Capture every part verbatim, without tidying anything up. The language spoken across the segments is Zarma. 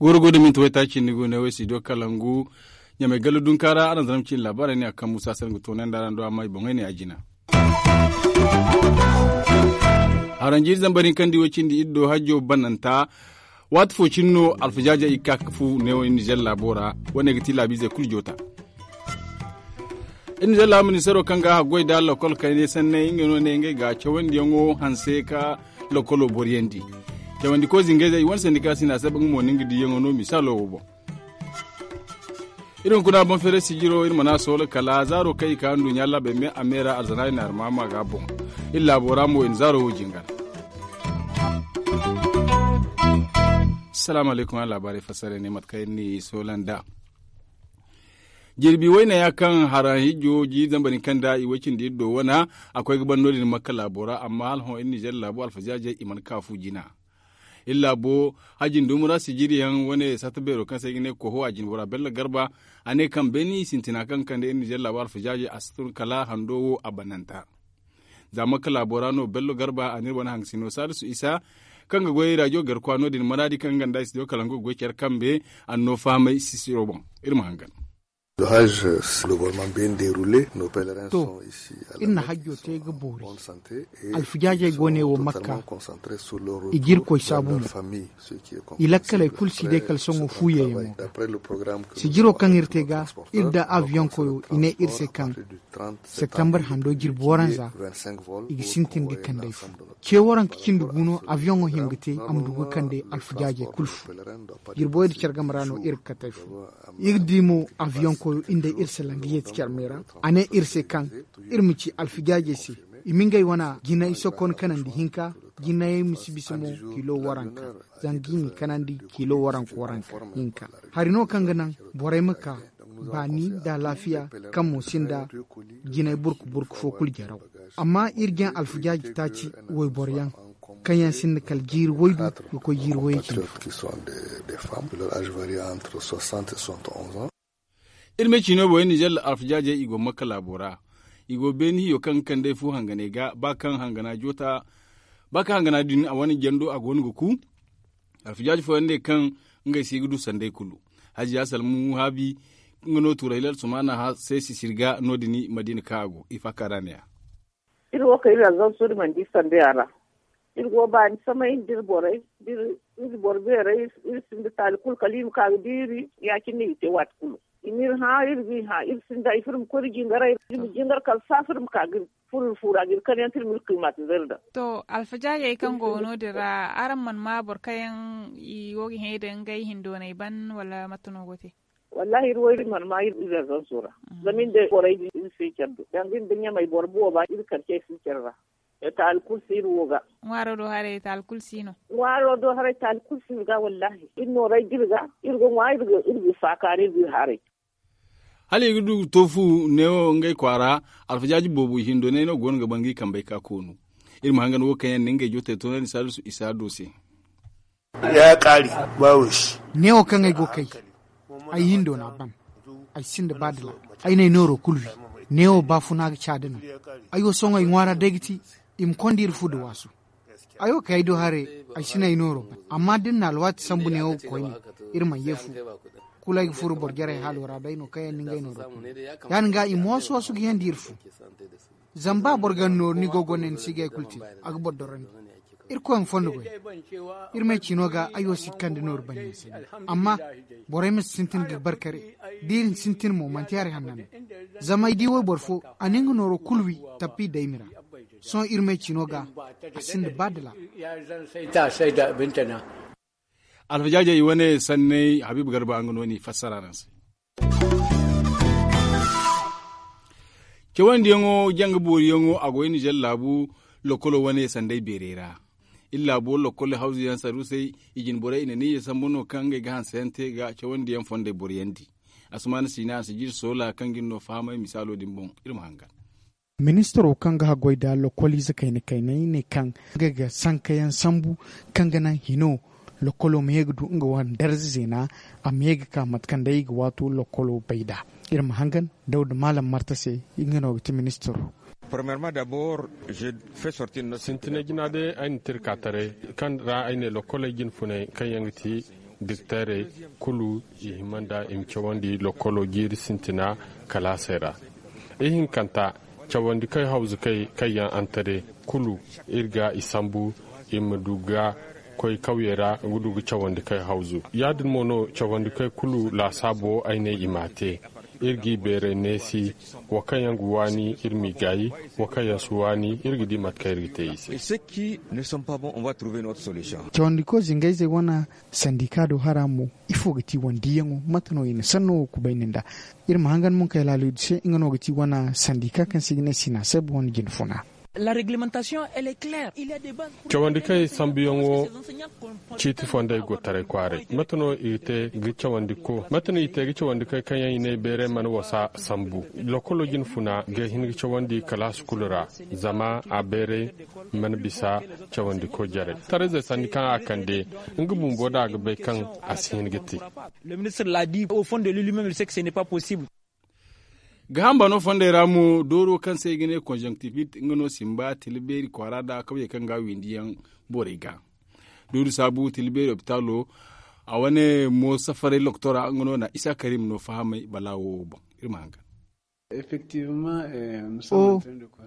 Goro go da minti waytaaci ni go ne way studio kalangu. Ɲamay gallo dunka ra araŋ zama cine laabaarey ne a kaŋ musa se nga toonandi araŋ do amma i boŋey ne a jina. Haranji zambar hinka nda i way cindi iddo hajjo bananta. Waati fo cine no alfajaajey i ga ka ga fu neewo nizer laabo ra. Wane ga ti laabiizey kulu joota. Iri nizer laabu ministeero kaŋ ga a haggoy nda lokol kaynay sanney ngey no ne ngey ga cawandiyaŋo hanse ka lokolo boriyandi. Cawandiko zingayzey i wane sandika sina se ba nga mo no nga diyaŋo no misaalo wo boŋ. Iri hunkuna boŋ feeray sijiro iri mana soola kala zaaro kaŋ i ka nduɲɲa laabey me a me ra arzana i na armaama ga boŋ. Iri laabo ra mo i na zaaro wo jingar. Salaamu alaykum a laabaarey fassara ne mate kaŋ iri n'i soola nd'a. Jirbi wayna ya kaŋ hara hijo ji zambar hinka nda i way cindi iri do wana a koy ga ban no- din makka laabo ra amma hala hõ iri nizer laabo alfazaazey i mana ka fu jina. Iri laabo hajin dumura sijiriyaŋ wane satta beero kaŋ se i ga ne koho a jinbora bello garba. A ne kaŋ beeni sintina kaŋ ga kande iri nizer laabo alfazaazey a si tun kala hando wo a bananta. Za makka laabo ra no bello garba a n'iri wane hangasino salisu isa kaŋ ga goy rajo garkwa no- din maraadi kaŋ ganda i si di wo kala nga ga goy care kambe. A n'no fahamay sisiro boŋ. Iri ma hangan. To, iri na hajjo te ga boori. Alfijaajey go ne wo makka. I ga irkoy saabu mo. I lakkaley kulu si day kala sohõ fuuyey yaŋo ga. Sijiro kaŋ iri te ga iri da aviyoŋ koyo i ne iri se kaŋ septembar hando jirbi waranza i ga sintin ga kand'ey fu. Ce waranka cindi gu no aviyoŋo hima ga te a ma du ga kande alfijaajey kulu fu. Jirbi wayda care game ra no iri ga kat'ey fu. Iri di mo aviyoŋ koyo iri nda iri salaŋ ga yeeti care me ra. A ne iri se kaŋ iri ma ci alfijaajey se i ma ngey wane jinay sokon kanandi hinka. Jinayey ma si bisa mo kilo waranka zanga i ma kanandi kilo waranka waranka hinka. Hari no kaŋ ga naŋ borey ma ka baani nda alaafiya kaŋ mo sinda jinay burku burku fo kulu jaraw. Amma iri jaŋ alfijaaji taaci wayboro yaŋ kaŋ yaŋ sinda kala jiiri waydu ga koy jiiri wayey cindi fo. Iri me ciino borey nizer alfijaajey i go makka laabo ra. I go beeni hiyo kaŋ ga kand'ey fu hanganey ga ba kaŋ hangana joota ba kaŋ hangana din a wane jando a go no ga ku. Alfijaaji fooyaŋ ne kaŋ ngey se i ga du sanday kulu. Hajiya salmu haabi nga no tuuray lal sumaana se sisiri ga no- din madiina kaŋ a go i faaka ra ne-ya. Iri wo kaŋ iri arzanso iri mana di sanday a ra. Iri go baani samay nda iri borey da iri boro beerey. Iri sinda taali kulu kala iri ma ka ga di iri ya- cine no i te waati kulu. I n'iri hã iri g'i hã iri sinda ifo iri ma koy iri jingaray iri ma jingar kala saafa iri ma ka ga iri furo iri fuura ga iri kar yaŋ te iri ma iri kay maatizay ra daŋ. To, alfajaajey kaŋ go no- din ra araŋ mana ma boro kaŋ yaŋ i go ga hẽ da ngey hindoonay ban wala mate no go te? Wallaahi iri wo iri mana ma iri arzanso ra. Zama iri nda borey din iri si care do danga iri nda ɲamey boro booba iri kar cey si care ra. Taali kulu si iri wo ga. Ŋwaaro do haray taali kulu si no. Ŋwaaro do haray taali kulu si iri ga wallaahi iri nooray ga iri ga iri ga ŋwa iri ga iri ga faakaari iri ga iri haray. Hala i ga du ga to fu neewo ngey kwaara. Alfajaaji boobo i hindoonay no go no ga ban ga i kambey ka koonu. Iri ma hangan wo kaŋ yaŋ na ngey jootey toonandi saalisu isa do se. Neewo kaŋ ay go kay ay hindo n'a ban. Ay sinda ba dila ay n'ay nooro kulu wi. Neewo baafuna ga caada no. Ay wo sohõ ay ŋwaara day ga ti i ma konda iri fu nda waasu. Ay wo kay ay do haray ay si n'ay nooro ban amma da iri na alwaati sambu neewo ga koyne iri mana ye fu. Kulu ay ga furo boro jarey haalo ra day no kaŋ yaŋ na ngey nooro koy. Ya- din ga i ma waasu waasu ga yandi iri fu. Zama ba boro ga ni nooru ni go gonda ni si ga hay kulu te a ga boro dorandi. Irkoy ma fondo goy. Iri may ciino ga ay wo si ga kande nooru banyaŋ sanni. Amma borey ma si sintin ga barkare da iri sintin mo manti hari hanna no. Zama ay di wayboro fo a na nga nooro kulu wi tappi daymi ra. Sohõ iri may ciino ga a sinda ba dala. Alfajaajey i wane sanney habiibu garba nga no n'i fassara araŋ se. Cawandiyaŋo janga booriyaŋo a go iri nizer laabu lokolo wane sanday beerey ra. Iri laabo lokolo hawzuyaŋ sarusey i jine borey i na niize sambu no kaŋ ngey ga hanseyaŋ te ga cawandiyaŋ fondey boriyandi. Asumaana siina a si jiri soola kaŋ ga iri no fahamay misaalo din boŋ. Iri ma hangan. Ministiro kaŋ ga haggoy nda lokoliize kayna kaynay ne kaŋ nga ga sankayaŋ sambu kaŋ ga naŋ hino lokolo ma ye ga du nga wane darza zeena. A ma ye ga ka mate kaŋ day i ga waato lokolo bay nd'a. Iri ma hangan dawda maalam marta se. Nga no ga ti ministiro. Sintinay jina day ay na tirka taray kaŋ ra ay ne lokkoley jinfunay kaŋ yaŋ ga ti diktayrey kulu i hima nda i ma cawandi lokkolo jiiri sintina kalaasey ra. Ihinkanta cawandikey hawzukey kaŋ yaŋ antare kulu iri ga i sambu i ma du ga koy kawyey ra ga du ga cawandikey hawzu. Ya- din mo no cawandikey kulu laasaabo ay ne i m'a te. Iri g'i beeray neesi. Wo kaŋ yaŋ ga waani iri m'i gaayi. Wo kaŋ yaŋ si waani iri ga di mate kaŋ iri ga te i se. Cawandiko zingayzey wane sandika do hara mo ifo ga ti wane diyaŋo? Mate no i na sanno wo kubay nin da? Iri ma hangan munkay laalidu se nga no ga ti wane sandika kaŋ se i ga ne sina se ba wane jinfuna. Cawandi kaŋ i sambuyaŋo ciiti fondey go taray kwaaray. Mate no i ga te ga cawandi ko mate no i te ga cawandi koy kaŋ yaŋ i ne beeray mana wasa sambu? Lokolo jinfuna ga hin ga cawandi kalaasi kulu ra. Zama a beeray mana bisa cawandi koy jarey. Taray zay sanni kaŋ a kande nga bumbo da a ga bay kaŋ a si hin ga te. Ga hamba no fondey ra mo dooro kaŋ se i ga ne konjonktifit nga no simba tila beeri kwaara nda kawyey kaŋ ga windi yaŋ borey ga. Dooru saabu tila beeri opitaalo a wane mo safaray loktora nga no na isa karim no fahamay balaawo wo boŋ. Iri ma hangan. O,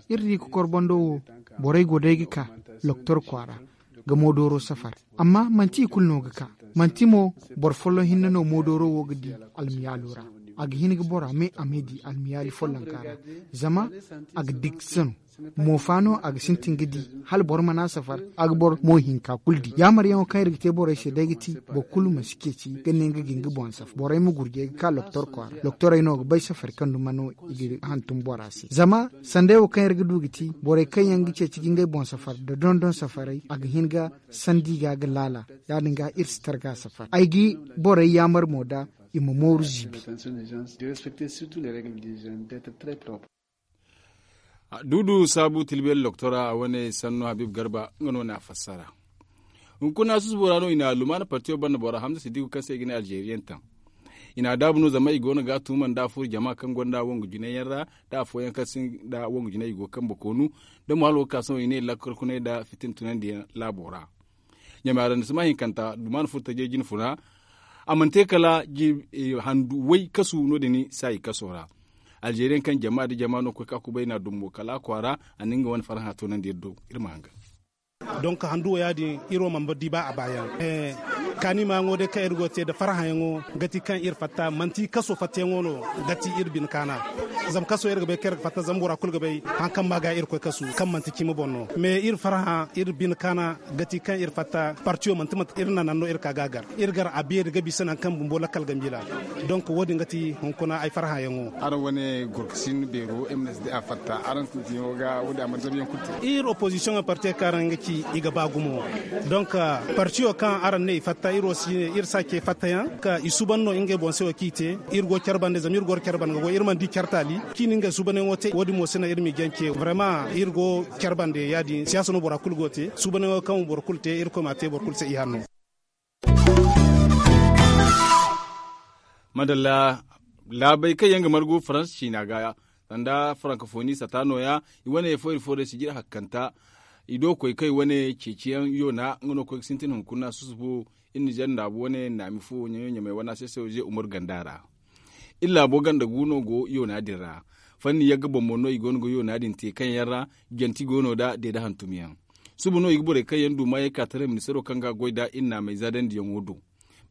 iri di ka korbando wo borey go day ga ka loktor kwaara ga mo dooro safar. Amma manti i kulu no ga ka. Manti mo boro folloŋ hinne no mo dooro wo ga di almiyaalo ra. A ga hin ga bora me a me di almiyaali follonka ra. Zama a ga diksa no. Moofa no a ga sintin ga di hala boro mana safar. A ga boro mo hinka kulu di yaamaryaŋo kaŋ iri ga te borey se day ga ti boro kulu ma si ceeci ga ne nga ga nga boŋ safar borey ma gurjey ga ka loktor kwaara. Loktorey no ga bay safari kaŋ duma no i ga hantum bora se zama sanday wo kaŋ iri ga du ga ti borey kaŋ yaŋ ga ceeci ga ngey boŋ safar nda dondon safarey a ga hin ga sandi ga ga laala. Ya-din ga iri si targa safar ay ga borey yaamar mo da i ma mooru ziibi. Duudu saabu tilbel loktora a wane sanno habib garba nga no na fassara. Hunkuna susubo ra no i na lumaana partiyo banda bora hamza sidiku kaŋ se i ga ne alzeriyen taŋ. I na daabu no zama i go no ga a tuuma nda a furo jama kaŋ gonda wongu jinay yaŋ ra nda afooyaŋ kaŋ sinda wongu jinay i go kambe koonu. Da mo hala wo ga ka sohõ i ne lakkal kunay nda fitin tunandiyaŋ laabo ra. Ɲamay arandisema hinkanta dumaana furo tajey jine funa. A mana te kala handu way kasu no- din saayi kaso ra. Alzeriyaŋ kaŋ jama nda jama no ga koy ka kubay na dumbo kala a kwaara. A na nga wane farhã toonandi iri do. Iri ma hangan. Donk handu wo ya- din iri wo mana di ba a baayaŋ. Kaani maayaŋo day kaŋ iri go ga te nda farhãyaŋo ga ti kaŋ iri fatta manti kaso fattayaŋo no ga ti iri bine kaana. Zama kaso iri ga bay kaŋ iri ga fatta zama bora kulu ga bay haŋ kaŋ ma ga iri koy kasu kaŋ manti cimi boŋ no. Me iri farhã iri bine kaana ga ti kaŋ iri fatta partiyo manti mate iri nanan no iri ka ga a gar. Iri gar a beeri ga bisa nangu kaŋ bumbo lakkal ga miila. Donk wo- din ga ti hunkuna ay farhãyaŋo. Araŋ wane gorkasin beero m n s d a fatta araŋ sintinyaŋo ga wo- din a mana zabuyaŋ kulu te. Iri opozisiyoŋo partiyo kaŋ araŋ ga ci i ga ba gumo. Donk partiyo kaŋ araŋ ne i fatta iri wo si ne iri si a ce fattayaŋ ka i suuban no ngey boŋ se wo kaŋ i te. Iri go care bande zama iri go care bande ga goy iri mana di care taali kaŋ i na ngey suubanyaŋo te wo- din mo si naŋ iri m'i jance vrema iri go care bande ya- din siyaasa no bora kulu go te suubanyaŋo kaŋ boro kulu te irkoy m'a te boro kulu se ihanno. Madalla. Laabey kaŋ yaŋ ga margu farans ciina ga sanda farankafoni sata nooya. I wane fooyri fooray si jiri hakkanta i do koy kaŋ i wane ceeciyaŋ yoona nga no koy ga sintin hunkuna susubu. Iri na zandaabu wane naami fo ɲaɲo ɲamay wane a se se wo ze umar ganda ra. Iri laabo ganda gu no go yoona din ra. Fanni yagga boŋ boŋ no i go no ga yoona din te kaŋ yaŋ ra janti go no da deeda hantum yaŋ. Suba no i ga borey kaŋ yaŋ du maayey ka taray ministaro kaŋ ga a goy nd'a iri naamey zaadandiyaŋo do.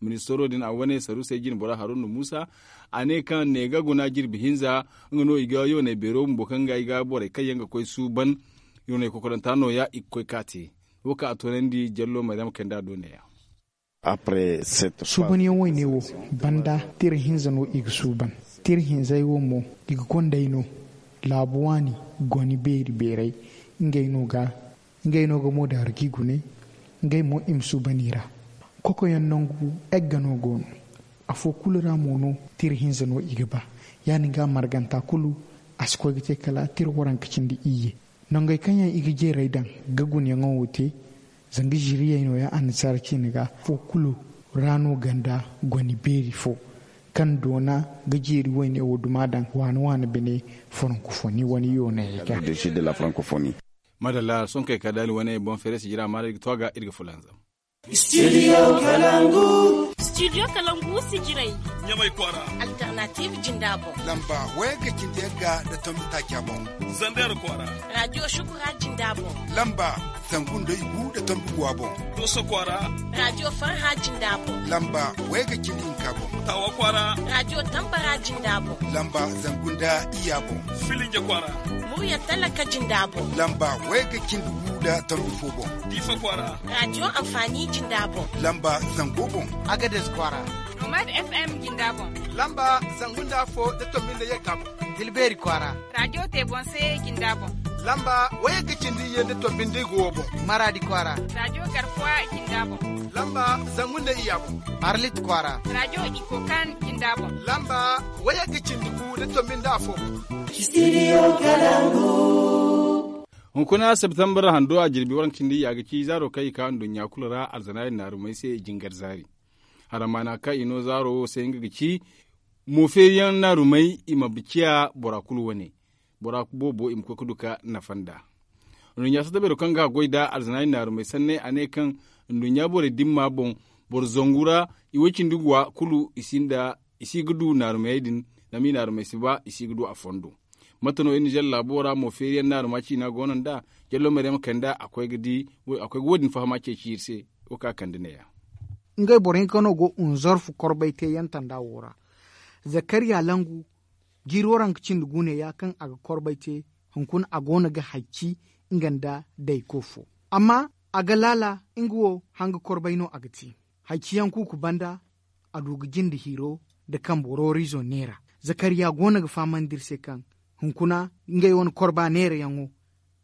Ministaro din a wane saruusey jine bora haruna muusa a ne kaŋ neega guna jirbi hinza nga no i ga yooney beero bumbo kaŋ ga i ga borey kaŋ yaŋ ga koy suuban yooney kokoranta nooya i ga koy ka te. Wo kaŋ a toonandi jallo maryam kay nd'a do neeya. Suubanyaŋ wayne wo banda tira hinza no i ga suuban. Tira hinzey wo mo i ga gonda ay no laabu waani goni beeri beerey. Ngey no ga ngey no ga mo daaru g'i gune. Ngey mo i ma suuban i ra. Kokoyaŋ nangu egga no go no. Afo kulu ra mo no tira hinza no i ga ba. Ya- din ga marganta kulu a si koy ga te kala tira waranka cindi iyye. Nongey kaŋ yaŋ i ga jeeray daŋ ga gunayaŋo wo te. Zanga ziiriyey nooya annasaara ciine ga afo kulu ra no ganda goni beeri fo. Kaŋ doona ga jeeri wayne wo duma daŋ waani waani bine. Frankofoni wane yoonayey ga. Madalla sonkey ka daali wane boŋ feere si jira maara iri ga to a ga iri ga fulanzam. Studio kalangu. Studio kalangu si jiray. Ɲamay kwaara. Alternative jinda boŋ. Lamba waya ga cindi yagga da tombi taaca boŋ. Zandar kwaara. Radio shukura jinda boŋ. Lamba zangu nda igu da tombi guwa boŋ. Doso kwaara. Radio farha jinda boŋ. Lamba waya ga cindi hinka boŋ. Tawa kwaara. Radio tambara jinda boŋ. Lamba zangu nda iya boŋ. Filinja kwaara. Murya talaka jinda boŋ. Lamba waya ga cindi gu da tombi fo boŋ. Difa kwaara. Radio amfani jinda boŋ. Lamba zango boŋ. Agades kwaara. Nomad FM jinda boŋ. Lamba zangu nda fo da tombi nda yagga boŋ. Tilbeeri kwaara. Radio te boŋ se jinda boŋ. Lamba waya ga cindi iyye nda tombi nda igu wo boŋ. Maradi kwaara. Radio garkuwa jinda boŋ. Lamba zangu nda iya boŋ. Arlit kwaara. Radio ikokan jinda boŋ. Lamba waya ga cindi gu da tombi nda afo boŋ. Studio kalangu. Hunkuna septembre hando a jirbi waranka cindi ya ga ci zaaro kaŋ i ka nduɲɲa kulu ra alzanaari naarumey se jingar zaari. Haramaana kaŋ i no zaaro wo se nga ga ci mo feeriyaŋ naarumey i ma ciya bora kulu wane. Bora boobo i ma koy ga du ka nafa nd'a. Nduɲɲa sata beero kaŋ ga goy nda alzanaari naarumey sanney a ne kaŋ nduɲɲa borey dimma boŋ boro zangu ra i way cindi guwa kulu i sinda i si ga du naarumey din. Zama i naarumey si ba i si ga du a fondo. Mate no iri nizer laabo ra mo feeriyaŋ naaruma ciina go no nd'a. Jallo maryama kanda a koy ga di a koy ga wo- din fahama ceeci iri se. Wo kaŋ a kande neeya. Ngey boro hinka no go unzorfu korbay te yantanda wo ra. Zakariya langu jiiro ra nga cindi guune ya kaŋ a ga korbay te. Hunkuna a go no ga hayci nga nda dayko fo amma a ga laala nga wo hanga korbay no a ga te. Hayciyaŋ kuuku banda a du ga jinde hiiro nda kambe rooriizo neera. Zakariya go no ga fahamandi iri se kaŋ hunkuna ngey wane korba neerayaŋo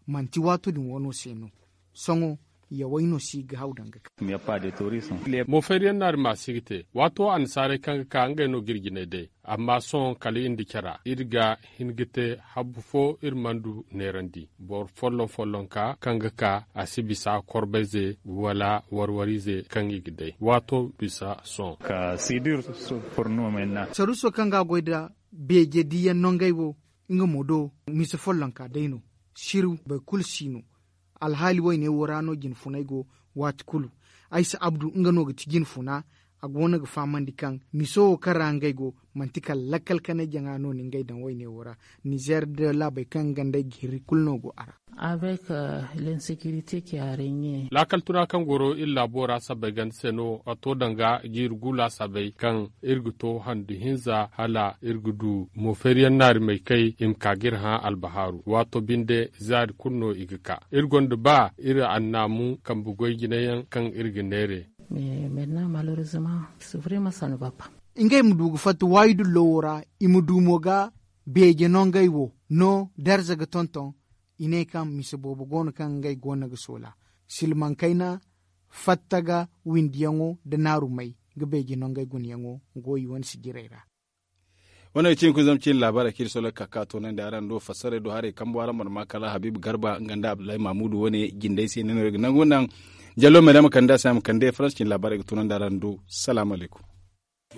manti waato din wano se no. Sohõ yawey no si ga haw danga ka. Mo faydiyaŋ naari ma si ga te waato annasaarey kaŋ ga ka ngey no ga iri jinay day. Amma sohõ kala iri nda cara iri ga hin ga te habbu fo iri mana du neerandi boro folloŋ folloŋ ka kaŋ ga ka a si bisa korbayze wala warwarize kaŋ i ga day waato bisa sohõ. Saruuso kaŋ ga a goy nda beeje diiyaŋ no ngey wo nga mo do mise follonka day no. Siru boro kulu si no. Alhaali wayne wo ra no jinfunay go waati kulu. Aysa abdu nga no ga ti jinfuna. A go no ga fahamandi kaŋ miso wo kaŋ ra ngey go manti kala lakkal kanay jaŋa no ni ngey daŋ wayne wo ra. Nizer nda laabey kaŋ nga nd'ey ga hirri kulu no go a ra. Laakal tuna kaŋ goro iri laabo ra sabbay ganda se no a to danga jiiri gu laasabey kaŋ iri ga to handu hinza hala iri ga du mo feeriyaŋ naarimey kay i ma ka ga iri hã albahaaru waato binde zaari kulu no i ga ka iri gonda ba iri annaamu kambe goy jinayaŋ kaŋ iri ga neere. Ngey ma du ga fatta waayi dullo wo ra i ma du mo ga beeje no ngey wo no darza ga tonton. I ne kaŋ mise boobo go no kaŋ ngey go no ga soola silmaŋ kayna fatta ga windiyaŋo nda naarumey ga beeje no ngey gunayaŋo go i wane sijirey ra. Wane ga cine kulu zama cine laabaarey kaŋ iri soloŋ ga ka ka toonandi araŋ do fassaray do haray kambo araŋ mana ma kala habiibu garba nga nda abdullahi mamudu wane jindey se ni no iri ga nangu naŋ. Jallo me ra ma kande a se a ma kande faransa cine laabaarey ga toonandi araŋ do. Salaamu alaykum.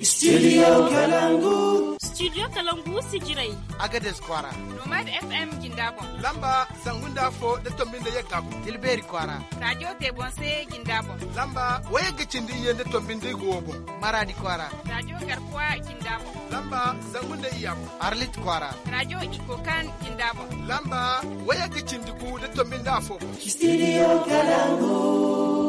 Studio kalangu. Studio kalangu sijirey. Agades kwaara. Nomad FM jinda boŋ. Lamba zangu nda afo nda tombi nda yagga boŋ. Tilbeeri kwaara. Radio te boŋ se jinda boŋ. Lamba wayagga cindi iyye nda tombi nda igo wo boŋ. Maradi kwaara. Radio garkuwa jinda boŋ. Lamba zangu nda iyya boŋ. Arlit kwaara. Radio ikokan jinda boŋ. Lamba wayagga cindi gu nda tombi nda afo boŋ. Studio kalangu.